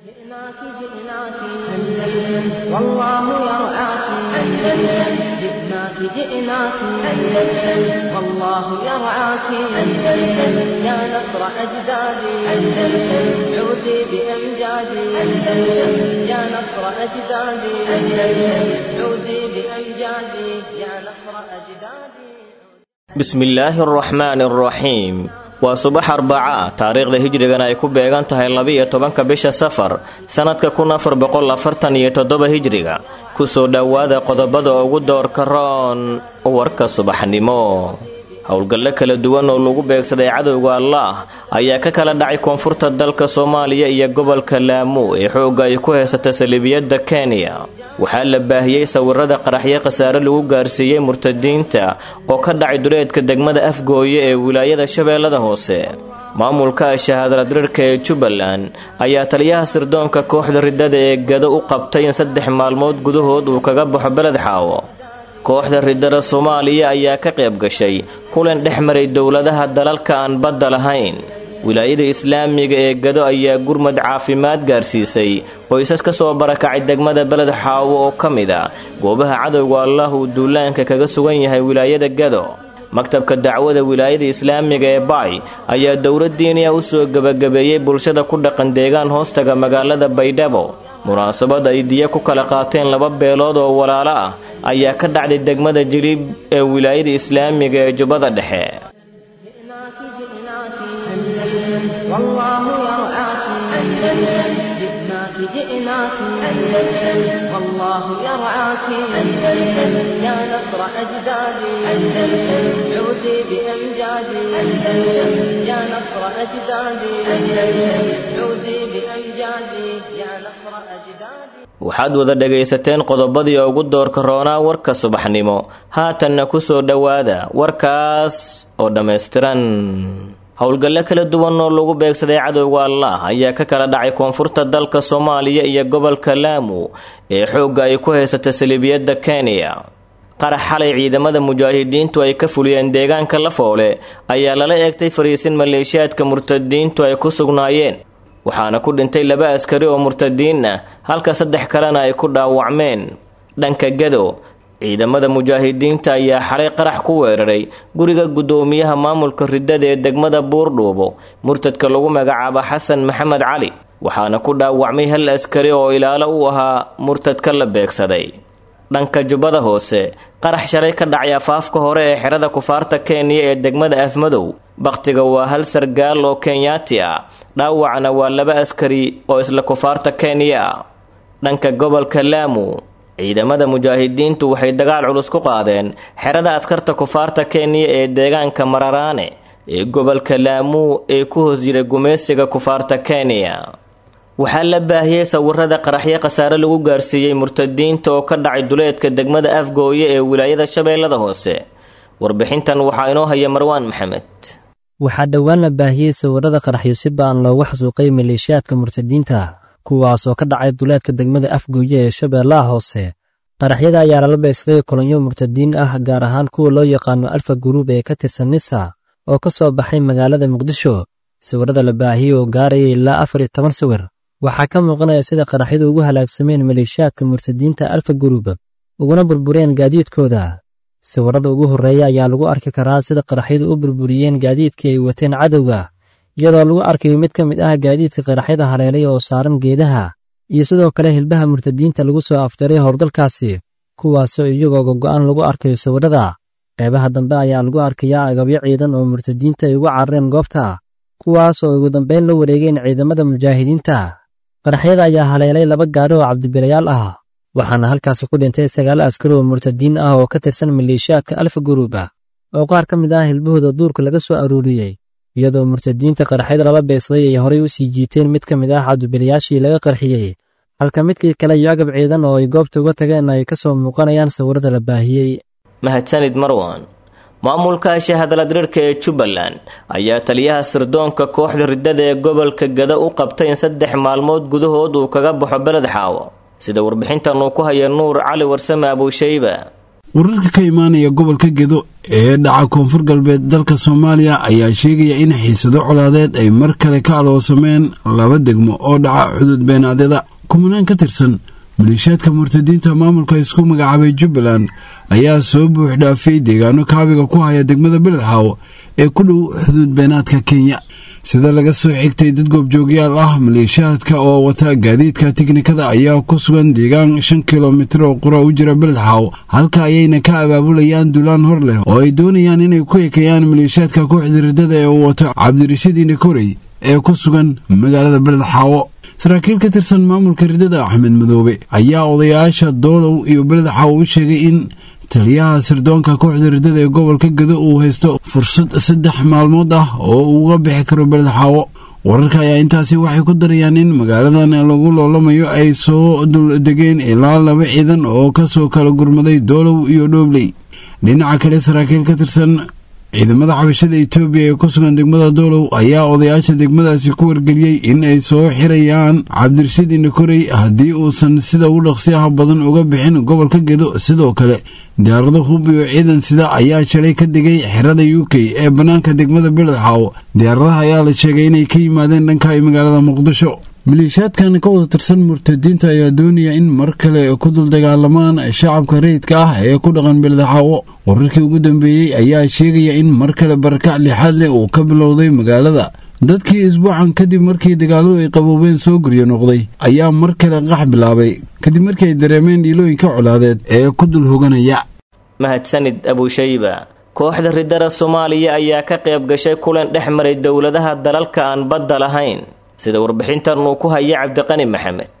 جئناك جئناك أندلس والله يرعاك أندلس جئناك جئناك أندلس والله يرعاك أندلس يا نصر أجدادي أندلس عودي بأمجادي أندلس يا نصر أجدادي أندلس عودي بأمجادي يا نصر أجدادي. بسم الله الرحمن الرحيم. Waa subax Arbaca, taariikhda hijrigana ay ku beegan tahay 12-ka bisha Safar sanadka 1447 hijriga. Kusoo dhowaada qodobada ugu doorka roon warka subaxnimo. Howlgallo kala duwan oo lagu beegsaday cadowga Allaah ayaa ka kala dhacay koonfurta dalka Soomaaliya iyo gobolka Laamu ee xoogga ay ku haysata saliibiyadda Kenya. Waxaa la baahiyey sawirada qaraxyo khasaare lagu gaarsiiyey murtadiinta oo ka dhacay duleedka degmada Afgooye ee wilaayada Shabeellada Hoose. Maamulka shahaadadrirka ee Jubbaland ayaa taliyaha sirdoonka kooxda riddada ee Gado u qabtay in 3 maalmood gudahood uu kaga baxo beled Xaawo. Kooxda riddada Soomaaliya ayaa ka qayb gashay kulan dhex maray dowladaha dalalka aan badda lahayn. Wilaayada Islaamiga ee Gado ayaa gurmad caafimaad gaarsiisay qoysas ka soo barakacay degmada beled Xaawo oo ka mid ah goobaha cadowga Allaah uu duulaanka kaga sugan yahay wilaayada Gado. Maktabka dacwada wilaayada Islaamiga ee Baay ayaa dowlad diiniya u soo gabagabeeyey bulshada ku dhaqan deegaan hoostaga magaalada Baydhabo. Munaasabad ay diya ku kala qaateen laba beelood oo walaalo ah ayaa ka dhacday degmada Jilib ee wilaayada Islaamiga ee Jubbada Dhexe. جئناك جئناك أندلس والله يرعاك أندلس جئناك جئناك أندلس والله يرعاك أندلس يا نصر أجدادي أندلس عودي بأمجادي أندلس يا نصر أجدادي أندلس عودي بأمجادي يا نصر أجدادي. Waxaad wada dhagaysateen qodobadii ugu doorka roonaa warka subaxnimo. Haatanna ku soo dhowaada warkaas oo dhammaystiran. Howlgallo kala duwan oo lagu beegsaday cadowga Allaah ayaa ka kala dhacay koonfurta dalka Soomaaliya iyo gobolka Laamu ee xoogga ay ku haysata saliibiyadda Kenya. Qarax xalay ciidamada mujaahidiintu ay ka fuliyeen deegaanka Lafoole ayaa lala eegtay fariisin maleeshiyaadka murtadiintu ay ku sugnaayeen, waxaana ku dhintay 2 askari oo murtadiin ah halka 3 kalena ay ku dhaawacmeen. Dhanka Gado, ciidamada mujaahidiinta ayaa xalay qarax ku weeraray guriga guddoomiyaha maamulka riddada ee degmada Buurdhuubo, murtadka lagu magacaabo Xasan Maxamed Cali, waxaana ku dhaawacmay 1 askari oo ilaalo u ahaa murtadka la beegsaday. Dhanka Jubbada Hoose, qarax shalay ka dhacay afaafka hore ee xerada kufaarta Kenya ee degmada Afmadow. Bakhtiga waa 1 sargaal oo Kenyaati ah, dhaawacna waa 2 askari oo isla kufaarta Kenya ah. Dhanka gobolka Laamu, ciidamada mujaahidiintu waxay dagaal culus ku qaadeen xerada askarta kufaarta Kenya ee deegaanka Mararaane ee gobolka Laamu ee ku hoos jira gumeysiga kufaarta Kenya. Waxaa la baahiyey sawirada qaraxyo khasaare lagu gaarsiiyey murtadiinta oo ka dhacay duleedka degmada Afgooye ee wilaayada Shabeellada Hoose. Warbixintan waxaa inoo haya Marwaan Maxamed. Waxaa dhowaan la baahiyey sawirada qaraxyo si ba'an loogu xasuuqay maleeshiyaadka murtadiinta, kuwaasoo ka dhacay duleedka degmada Afgooye ee Shabeellaha Hoose. Qaraxyada ayaa lala beegsaday kolonyo murtadiin ah, gaar ahaan kuwa loo yaqaano Alfa Group ee ka tirsan Nisa oo ka soo baxay magaalada Muqdisho. Sawirada la baahiyey oo gaarayay ilaa 14 sawir waxaa ka muuqanaya sida qaraxyadu ugu halaagsameen maleeshiyaadka murtadiinta Alfa Group uguna burbureen gaadiidkooda. Sawirada ugu horreeya ayaa lagu arki karaa sida qaraxyadu u burburiyeen gaadiidkii ay wateen cadowga, iyadoo lagu arkayo mid ka mid ah gaadiidka qaraxyada haleelay oo saaran geedaha, iyo sidoo kale hilbaha murtadiinta lagu soo afjaray howlgalkaasi, kuwaasoo iyagoo gogo'an lagu arkayo sawirada. Qaybaha dambe ayaa lagu arkayaa agabyo ciidan oo murtadiinta ay ugu carareen goobta, kuwaas oo ugu dambayn la wareegeen ciidamada mujaahidiinta. Qaraxyada ayaa haleelay 2 gaari oo cabdibilayaal ah, waxaana halkaasi ku dhintay 9 askari oo murtadiin ah oo ka tirsan maleeshiyaadka Alfa Group ah oo qaar ka mid ah hilbahooda duurka laga soo aruuriyey, iyadoo murtadiinta qaraxyada lala beegsaday ay horay u sii jiiteen mid ka mid ah cabdibilayaashii laga qarxiyey, halka midkii kale iyo agab ciidan oo ay goobta uga tageen ay ka soo muuqanayaan sawirada la baahiyey. Mahadsanid Marwan. Maamulka shahaadadrirka ee Jubbaland ayaa taliyaha sirdoonka kooxda riddada ee gobolka Gado u qabtay in 3 maalmood gudahood uu kaga baxo beled Xaawo. Sida warbixintan uu ku haya Nuur Cali Warsame Abuushayba. Wararka ka imaanaya gobolka Gedo ee dhaca koonfur galbeed dalka Soomaaliya ayaa sheegaya in xiisado colaadeed ay mar kale ka aloosameen laba degmo oo dhaca xuduud beenaadyada. Kumanaan ka tirsan maleeshiyaadka murtadiinta maamulka isku magacaabay Jubbaland ayaa soo buux dhaafiyey deegaano kaabiga ku haya degmada Beledxaawo ee ku dhow xuduud beenaadka Kenya. Sida laga soo xigtay dad goobjoogyaal ah, maleeshiyaadka oo wata gaadiidka tiknikada ayaa ku sugan deegaan 5 kilomitir oo qura u jira Beledxaawo, halka ayayna ka abaabulayaan duulaan hor leh oo ay doonayaan inay ku ekeeyaan maleeshiyaadka kooxda riddada ee uu wato Cabdirashiid Indhakorey ee ku sugan magaalada Beledxaawo. Saraakiil ka tirsan maamulka riddada Axmed Madoobe ayaa odayaasha Doolow iyo Beledxaawo u sheegay in taliyaha sirdoonka kooxda riddada ee gobolka Gedo uu haysto fursad 3 maalmood ah oo uu uga bixi karo Beledxaawo. Wararka ayaa intaasi waxay ku darayaan in magaaladan lagu loolamayo ay soo duldegeen ilaa 2 ciidan oo kasoo kala gurmaday Doolow iyo Dhoobley. Dhinaca kale, saraakiil ka tirsan ciidamada xabashada Itoobiya ee ku sugan degmada Doolow ayaa odayaasha degmadaasi ku wargeliyey in ay soo xirayaan Cabdirashiid Indhakorey haddii uusan sida ugu dhaqsiyaha badan uga bixin gobolka Gedo. Sidoo kale, diyaarado hub iyo ciidan sida ayaa shalay ka degay xerada UK ee bannaanka degmada Beledxaawo. Diyaaradaha ayaa la sheegay inay ka yimaadeen dhanka magaalada Muqdisho. Maleeshiyaadkan ka wada tirsan murtadiinta ayaa doonaya in mar kale ku dul dagaalamaan shacabka rayidka ah ee ku dhaqan Beledxaawo. Wararkii ugu dambeeyey ayaa sheegaya in mar kale barakac lixaad leh uu ka bilowday magaalada. Dadkii isbuucan kadib markii dagaaladu ay qaboobeen soo guryo noqday ayaa mar kale qax bilaabay kadib markii ay dareemeen dhiilooyinka colaadeed ee ku dul hoganaya. Mahadsanid Abushayba. Kooxda riddada Soomaaliya ayaa ka qayb gashay kulan dhex maray dowladaha dalalka aan badda lahayn, sida warbixintan uu ku haya Cabdiqani Maxamed.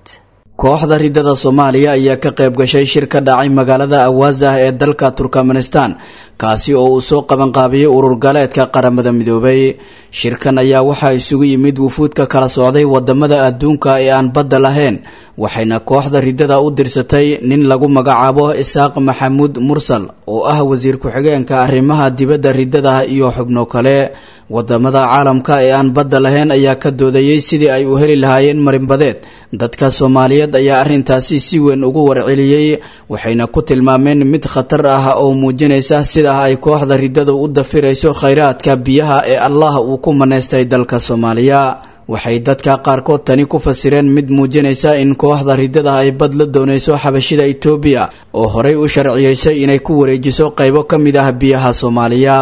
Kooxda riddada Soomaaliya ayaa ka qayb gashay shir ka dhacay magaalada Awaazah ee dalka Turkmenistan, kaasi oo uu soo qabanqaabiyey urur galeedka Qaramada Midoobay. Shirkan ayaa waxaa isugu yimid wufuud ka kala socday wadamada adduunka ee aan badda lahayn, waxayna kooxda riddada u dirsatay nin lagu magacaabo Isaaq Maxamuud Mursal oo ah wasiir ku-xigeenka arrimaha dibadda riddada iyo xubno kale. Wadamada caalamka ee aan badda lahayn ayaa ka doodayey sidii ay u heli lahaayeen marinbadeed. Dadka Soomaaliyeed ayaa arrintaasi si weyn ugu warceliyey, waxayna ku tilmaameen mid khatar ah oo muujinaysa sida ay kooxda riddadu u dafirayso khayraadka biyaha ee Allah uu ku manaystay dalka Soomaaliya. Waxay dadka qaarkood tani ku fasireen mid muujinaysa in kooxda riddada ay bad la doonayso xabashida Itoobiya oo horey u sharciyeysay inay ku wareejiso qaybo ka mid ah biyaha Soomaaliya.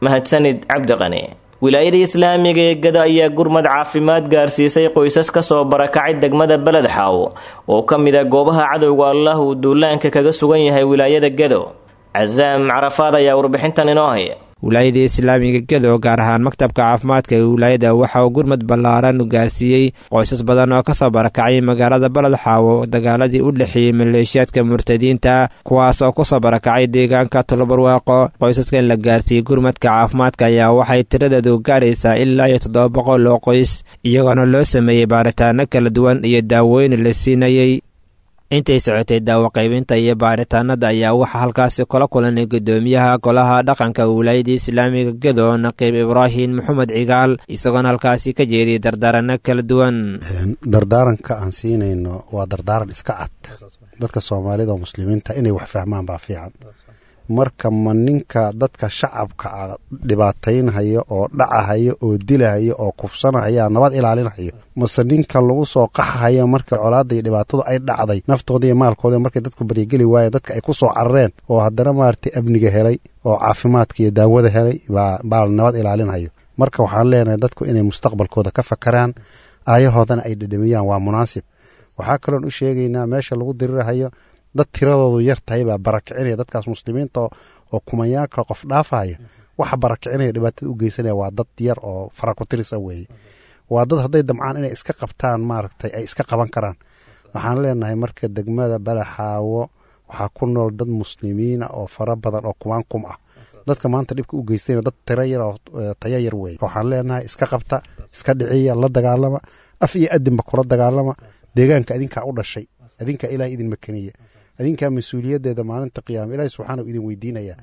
Mahadsanid Cabdiqani. Wilaayada islaamiga ee Gado ayaa gurmad caafimaad gaarsiisay qoysas ka soo barakacay degmada Beledxaawo oo ka mid ah goobaha cadowga Allah uu duulaanka kaga sugan yahay wilaayada Gado. Casaam Carafaad ayaa warbixintan inoo haya. Wilaayada islaamiga Gedo, gaar ahaan maktabka caafimaadka ee wilaayada, waxa uu gurmad ballaaran gaarsiiyey qoysas badan oo kasoo barakacay magaalada Baledxaawo dagaaladii u dhexeeyey maleeshiyaadka murtadiinta, kuwaas oo kusoo barakacay deegaanka Tolobarwaaqo. Qoysaska in la gaarsiiyey gurmadka caafimaadka ayaa waxay tiradeedu gaaraysaa ilaa iyo 700 oo qoys, iyagoona loo sameeyey baaritaano kala duwan iyo daawooyin la siinayey. Intay socotay daawo qaybinta iyo baaritaanada ayaa waxaa halkaasi kula kulanay guddoomiyaha golaha dhaqanka wilaayada islaamiga Gedo, Naqiib Ibraahim Maxamed Cigaal, isagoona halkaasi ka jeediyay dardaaranno kala duwan. Dardaaranka aan siinayno waa dardaaran iska cad. Dadka Soomaalida oo muslimiinta inay wax fahmaan baa fiican. Marka ma ninka dadka shacabka ah dhibaataynhayo oo dhacahayo oo dilahayo oo kufsanahaya nabad ilaalinhayo, mase ninka lagu soo qaxahayo marka colaadda iyo dhibaatadu ay dhacday naftooda iyo maalkooda, markay dadku baryageli waayeen, dadka ay ku soo carareen oo haddana maaragtay amniga helay oo caafimaadka iyo daawada helay baa nabad ilaalinhayo? Marka waxaan leenahay dadku inay mustaqbalkooda ka fakaraan, aayahoodana ay dhedhamiyaan waa munaasib. Waxaa kaloon u sheegaynaa meesha lagu dirirahayo dad tiradoodu yar tahay baa barakicinaya dadkaas muslimiinta oo kumanyaanka qof dhaafahaya. Waxa barakicinaya dhibaatada u geysanaya waa dad yar oo fara ku tirisa weeye. Waa dad hadday damcaan inay iska qabtaan maaragtay ay iska qaban karaan. Waxaan leenahay marka degmada Balaxaawo waxaa ku nool dad muslimiina oo fara badan oo kumaan kum ah. Dadka maanta dhibka u geystayna dad tiro yar oo tayo yar weeye. Waxaan leenahay iska qabta, iska dhiciya, la dagaalama, af iyo adinba kula dagaalama. Deegaanka adinkaa u dhashay, adinkaa Ilaah idin makaniye, adinkaa mas-uuliyaddeeda maalinta qiyaama Ilaahi subxaana idin weydiinaya.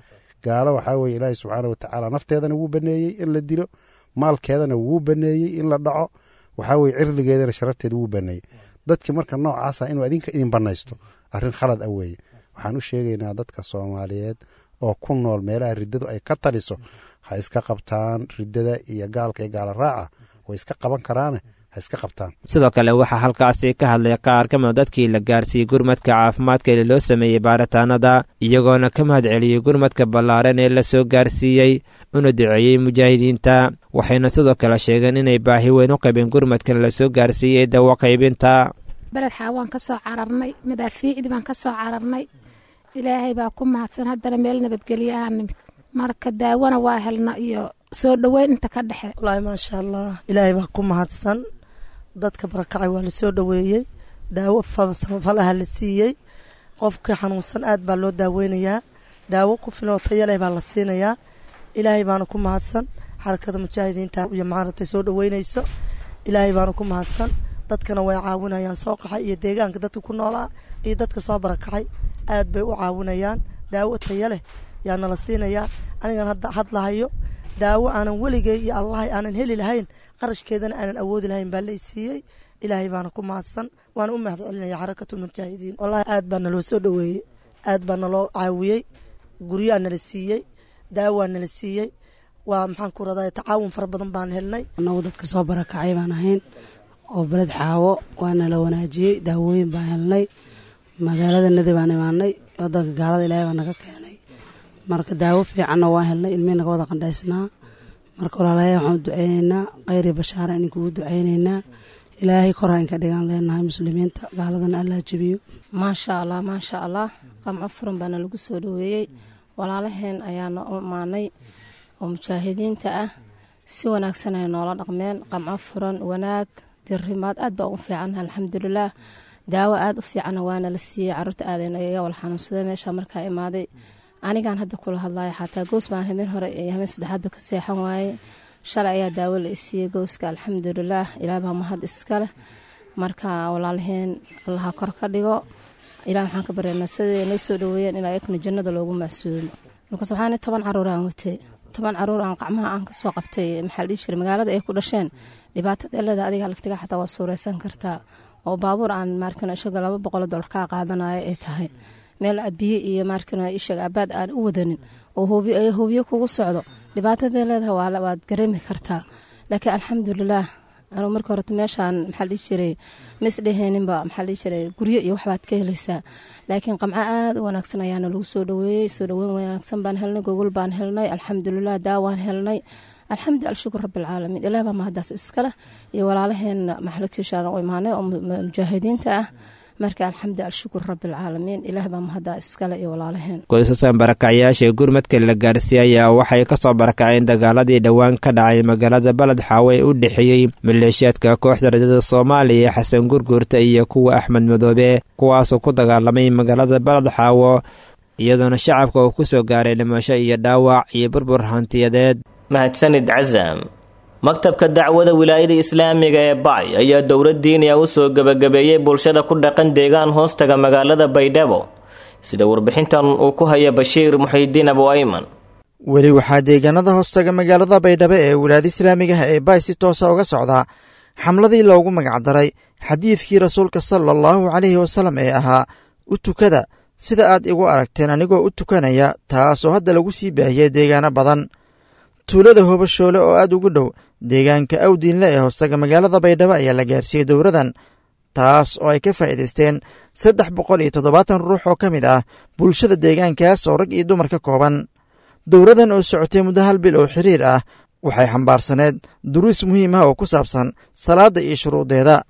Gaalo waxaa weye Ilaahi subxaana watacaala nafteedana wuu baneeyey in la dilo, maalkeedana wuu baneeyey in la dhaco, waxaa weye cirdigeedana sharafteeda wuu baneeyey. Dadki marka noocaasa inuu adinka idin banaysto arrin khalad ah weeye. Waxaan u sheegaynaa dadka Soomaaliyeed oo ku nool meelaha riddadu ay ka taliso, ha iska qabtaan riddada iyo gaalka iyo gaala raaca, way iska qaban karaane, ha iska qabtaan. Sidoo kale waxaa halkaasi ka hadlay qaar ka mida dadkii la gaarsiiyey gurmadka caafimaadka ee loo sameeyey baaritaanada, iyagoona ka mahad celiyey gurmadka ballaaran ee la soo gaarsiiyey, una duceeyey mujaahidiinta. Waxayna sidoo kale sheegeen inay baahi weyn u qabeen gurmadkan la soo gaarsiiyey dawo qaybinta. Beled Xaawaan ka soo cararnay, madaafiicdii baan ka soo cararnay, Ilaahay baa ku mahadsan, haddana meel nabadgelyo aan nimid. Marka daawana waa helna iyo soo dhoweyn inta ka dhexe. Wallaahi maasha Allah, Ilaahay baa ku mahadsan. Dadka barakacay waa lasoo dhoweeyey, daawo samafalaha la siiyey. Qofkii xanuunsan aad baa loo daaweynayaa, daawo ku filan oo tayo leh baa la siinayaa. Ilaahay baana ku mahadsan, Xarakada Mujaahidiinta iyo maaragtay soo dhoweynayso, Ilaahay baana ku mahadsan. Dadkana way caawinayaan, soo qaxay iyo deegaanka dadka ku noolaa iyo dadka soo barakacay aad bay u caawinayaan. Daawo tayo leh yaa nala siinayaa. Anigan hadda hadlahayo, daawo aanan weligay iyo Allahay aanan heli lahayn, qarashkeedana aanan awoodi lahayn baa la isiiyey. Ilaahay baana ku mahadsan, waana u mahad celinaya Xarakatulmujaahidiin. Wallahi aad baa naloo soo dhoweeyey, aad baa naloo caawiyey, guryaa nala siiyey, daawaa nala siiyey, waa maxaan ku radaa, tacaawun fara badan baan helnay. Annagu dadka soo barakacay baan ahayn oo Beled Xaawo, waana la wanaajiyey, daawooyin baan helnay, magaalada nadi baan imaanay, wadanka gaalada Ilaahay baa naga keenay. Marka daawo fiicanna waan helnay, ilmihii naga wada qandhaysnaa. Marka walaalayaal, waxaan u duceyneynaa khayr iyo bashaara, idinkugu duceyneynaa. Ilaahay kor ha inka dhigaan leenahay muslimiinta, gaaladana Allah jebiyo. Maasha Allah, maasha Allah, qamco furan baana lagu soo dhoweeyey. Walaalaheen ayaana u imaanay oo mujaahidiinta ah, si wanaagsan ay noola dhaqmeen, qamco furan, wanaag, dirimaad, aad baa ugu fiicannaha, alxamdulilaah. Daawo aad u fiicanna waana la siiyey. Caruurta aadayna iga wala xanuunsaday meesha markaa imaaday. Anigaan hadda kula hadlayo xataa goos baan habeen hore iyo habeen saddexaadba ka seexan waaye. Shalay ayaa daawo la isiiyey gooska, alxamdulilaah, Ilaah baa mahad iska leh. Marka walaalaheen Allaha kor ka dhigo. Ilaah waxaan ka baryaynaa siday noo soo dhoweeyeen in ayakuna jannada loogu macsuumo. Markaas waxaan 10 caruur aan watay, 10 caruur aan qacmaha aan kasoo qabtay, maxaa la dhihi jiray, magaalada ay ku dhasheen. Dhibaatada leeda adiga laftiga xataa waa suureysan kartaa, oo baabuur aan maarkano ishaga $200 kaa qaadanayo ay tahay, meel aad biyo iyo maarkano ishaga abaad aan u wadanin oo hubiyo kugu socdo, dhibaatada leedahay waad gareemi kartaa. Laakiin alxamdulilaah, anuu marka horeta meeshaan, maxaa la dhihi jiray, ma isdheheeninba, maxaa la dhihi jiray, guryo iyo waxbaad ka helaysaa. Laakiin qamco aad u wanaagsan ayaana lagu soo dhoweeyey. Soo dhoweyn wanaagsan baan helnay, gogol baan helnay, alxamdulilah, daawaan helnay, alxamdu alshukur rabbilcaalamiin. Ilaah baa mahadaas iskaleh iyo walaalaheenna maxalagtiishaan u imaanay oo mujaahidiinta ah. Marka alxamdu alshukur rabbilcaalamiin, Ilaah baa mahadaa iskale iyo walaalaheen. Qoysaskan barakacyaasha ee gurmadka la gaarsiiyey ayaa waxay ka soo barakaceen dagaaladii dhowaan ka dhacay magaalada Baled Xaawo ee u dhexeeyey maleeshiyaadka kooxda rajada Soomaaliya Xasan Gurguurta iyo kuwa Axmed Madoobe, kuwaasoo ku dagaalamay magaalada Baled Xaawo, iyadoona shacabka uu ku soo gaaray dhimasho iyo dhaawac iyo burbur hantiyadeed. Mahadsanid Casaam. Maktabka dacwada Wilaayada Islaamiga ee Bacay ayaa dowlad diiniya u soo gebagabeeyey bulshada ku dhaqan deegaan hoostaga magaalada Baydhabo, sida warbixintan uu ku haya Bashiir Muxiidiin Abu Ayman. Weli waxaa deegaanada hoostaga magaalada Baydhabo ee wilaayada islaamiga ah ee Baay si toosa uga socdaa xamladii loogu magacdaray xadiidkii rasuulka sala allahu caleyhi wasalam ee ahaa "U tukada sida aad igu aragteen anigoo u tukanaya", taasoo hadda lagu sii baahiyey deegaano badan. Tuulada Hobashoole oo aad ugu dhow deegaanka Awdiinle ee hoostaga magaalada Baydhabo ayaa la gaarsiiyey dowradan, taas oo ay ka faa'iidaysteen 370 ruux oo ka mid ah bulshada deegaankaas oo rag iyo dumar ka kooban. Dowradan oo socotay muddo hal bil oo xiriir ah waxay xambaarsaneed duruus muhiim ah oo ku saabsan salaadda iyo shuruudeeda.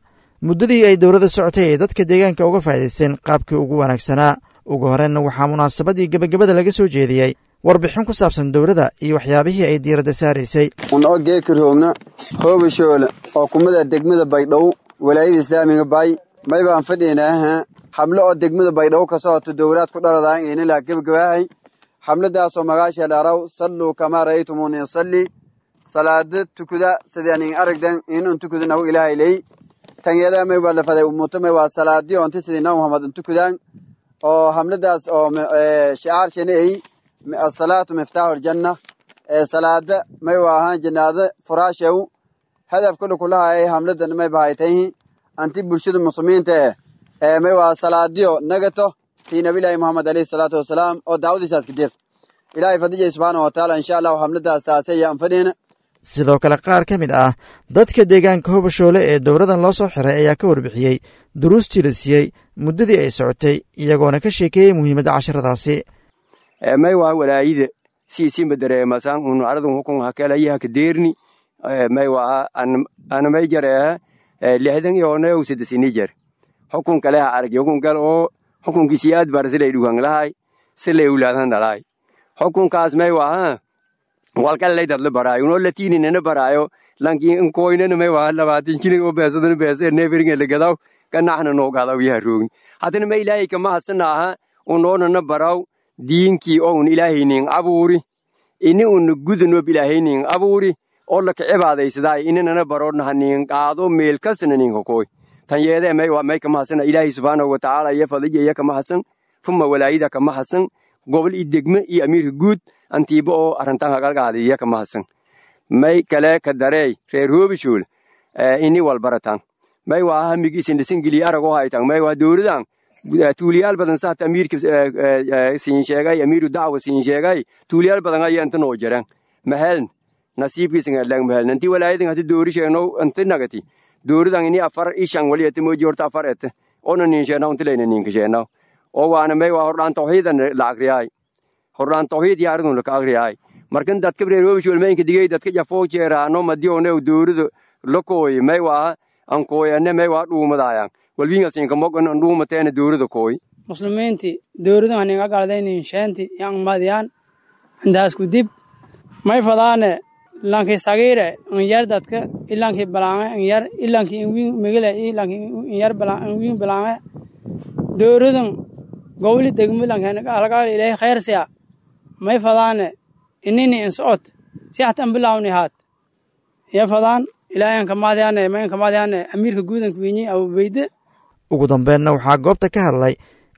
Muddadii ay dowladda socotay ay dadka deegaanka uga faa'iidaysteen qaabkii ugu wanaagsanaa. Ugu horreynna waxaa munaasabadii gebagabada laga soo jeediyey warbixin ku saabsan dowladda iyo waxyaabihii ay diiradda saaraysay. Unoo geekirhoogna Hoobashoole oo kumida degmada Baydhabo, walaayada islaamiga Baay, may baan fadhiynaaha xamlo oo degmada Baydhabo ka socoto, dowlaad ku dhaladaan inilaa gebagabaahay. Xamladaasoo magaasha dhaaraw "Salluu kamaa ra'aytumuuni yusalli", salaada tukuda sidaan in aragdan inun tukudanahu Ilaahay ley. Tanyada may waa la faday umuto may waa salaadii onti sidii Nabi Muhammad intukudaan, oo xamladaas oo shicaar shanay "Asalaatu miftaaxu aljanna", ee salaada may waa ahaan jannaada furaashew. Hadaf kule kulahaayay xamladan may bahaytayhi anti bulshada muslimiinta eh ee may waa salaadiyo nagato Tii nabilaahi Muhammad alayhi salaatu wasalaam oo daawadiisaas ka deerta. Ilaahay fadijay subxaanahu watacaala insha allahu xamladaas taasay yaan fadhiyna. Sidoo kale qaar ka mid ah dadka deegaanka Hobashoole ee dowladan loo soo xiray ayaa ka warbixiyey duruustii la siiyey muddadii ay socotay, iyagoona ka sheekeeyey muhiimadda casharadaasi. May waa walaayida siisinba dareemasan unu aradun hukun hakelayaha kadeerni. May waa ana may jareeha 60 iyo 63 jar hukun kale ha arag hukun kale oo hukunkiisi aad bar silay dhugan lahay silay ulaadan dhalay hukunkaas. May waa walkale dad la baraayo unoo latiininana baraayo lankiin inkoynana may waa 20 jilin oo beesadana beese neeferinga la gadaw ganaxna noo gadaw yaha roogni. Haddana ma ilaahay kama hadsanaha unoonana baraw diinkii oo un ilaahaynin abuuri ini un gudunoob ilaahaynin abuuri oo laka cibaadaysadaa ininana baroodnaha nin qaado meel kasna ninka kooy tan yeedee. May waa may kama hadsana ilaahay subxaanahu watacaala iyo fadija iyo kama hadsan fuma walaayida kama hadsan gobol iyo degme iyo amiirka guud antiiba oo arrintan hagalgaadiya kama hadsan. May kale ka dareey reer Hoobishuul ini walbaratan may waa hamigiisin dhisangeliya aragoo haytan. May waa dowladan tuuliyaal badan saata amiirka siin sheegay, amiiru dacwa siin sheegay, tuuliyaal badan ayaa inta noo jiraan maheln nasiibkiisan hadlaan maheln intii walaayadan hati doori sheegno inti nagati dowladan ini 4 iyo 5 wali ati mooji horta 4 ete oona niin sheegnaw inti layna niinka sheegnaw oo waana may waa hordhaan tawxiidan la akriyaay, hordhaan tawxiid iyo aridun laka akriyaay. Markan dadka reer Hoobishuul maynka digay dadka jafoo jeeraano madiyoone dowlada la kooy may waa an kooyane may waa dhuumadaayaan walwiingasinka mogan an dhuumateena dowlada kooy. Muslimiinti dowladan haninga galdaynin sheenti yang madiyaan intaas ku dib may fadaane lanki sagiire in yar dadka ilankii balaange in yar ilankii inwiin migile ilankii in yar inwiin balaange dowladan gowli degmo lankeena ilaahay khayr siya may fadaane inini in socod si hatan bilawni haat ya fadaan ilaahay ka maadiyaane may ka maadiyaane amiirka guudanka wiinyi Abubeyde. Ugu dambeenna waxaa goobta ka hadlay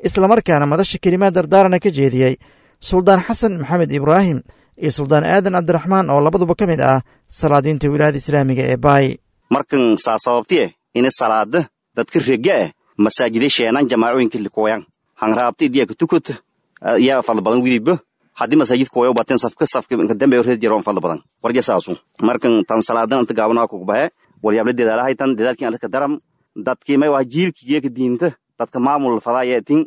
islamarkaana madasha kelimaad dardaarana ka jeediyey Suldaan Xasan Maxamed Ibraahim iyo Suldaan Aadan Cabdiraxmaan oo labaduba ka mid ah salaadiinta wilaayada islaamiga ee Baay. Markan saa sababtiye ini salaada dadka rega eh masaajida sheenan jamaacooyinka likoyan hangraabta idiya ka tukut yaa fadl badan widiba haddii masaajid kooyo bateen safka safka inka dambe reer jiro fadl badan warja saasu. Markan tan salaadan inta gaabanaa kugu bahe waryaable dedaalahay tan dedaalkii alka daram dadkii may waa jiilkii geeka diinta dadka maamul fadaayeetin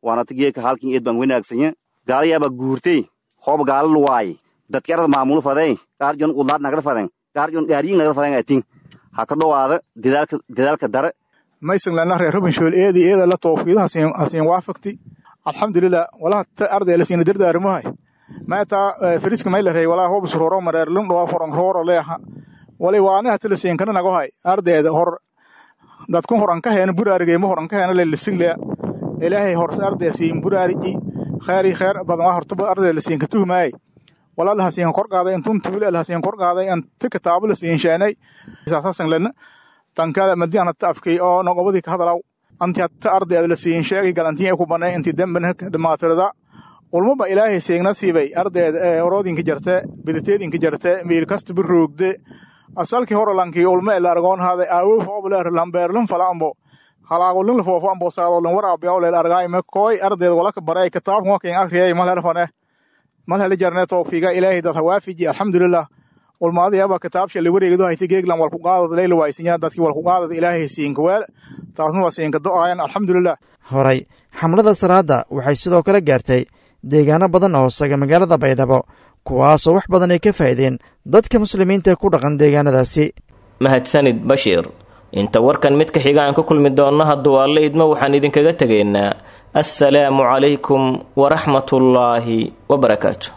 waana ta geeka halkin eed baan wanaagsanya gaala yaaba guurtay hoob gaala luwaay dadki arada maamul faday qaar jon udlaad nagada faden qaar jon gaariyin nagada faden atin ha ka dhowaada dedaalka dedaalka dare. Maysan lana reer Rubinshool eedi eeda la tawfiidaha asiin waafaqti, alxamdulillah. Walaha arday la siina dardaarmahay maata firiska may la reey walaa hoob suroro mareer lum dhawa foran rooro leeha wali waana hata la siin kana nago hay ardayda hor dadku horan ka heen buraarigay ma horan ka heen la lisin le ilaahay hor arday siin buraariji khayri khayr badan waa horta arday la siin ka tuhmay walaa la siin kor qaaday intun tuule la siin kor qaaday inta kitaab la siin sheenay isaasan lana tankala madiana taafkay oo noqobadii ka hadalaw anti hatta ardayda la siin sheegay galantiin ay ku banay intii damban dhamaatirada ulmaba ilaahay seegna siibay ardayda oroodinka jarte biditeedinka jarte meel kasta biroogde asalkii hore lankii ulma ila argoon haaday aawo hoobleer lambeerlun falaambo halaagolun la foofo ambo saadolun waraabiyaw leel argaay ma kooy ardayda wala ka baray kitaabka waa akhriyay mal herfane mal heli jarne tawfiiga ilaahay dad hawaafiji, alxamdulillah. Ulmaadayaba kitaabsha la wareegdo hayta geeglan wal ku qaadad leyl waaysinya dadkii wal ku qaadad ilaahay siinka weel taasna waa siinka do'ayan, alxamdulillah. Horay xamlada salaada waxay sidoo kale gaartay deegaano badan oo hoosaga magaalada Baydhabo, kuwaasoo wax badan ay ka faa'iideen dadka muslimiinta ku dhaqan deegaanadaasi. Mahadsanid Bashiir. Inta warkan mid ka xiga aan ku kulmi doonno hadduu Alle idmo, waxaan idinkaga tegaynaa assalaamu calaykum waraxmatullaahi wabarakaatu.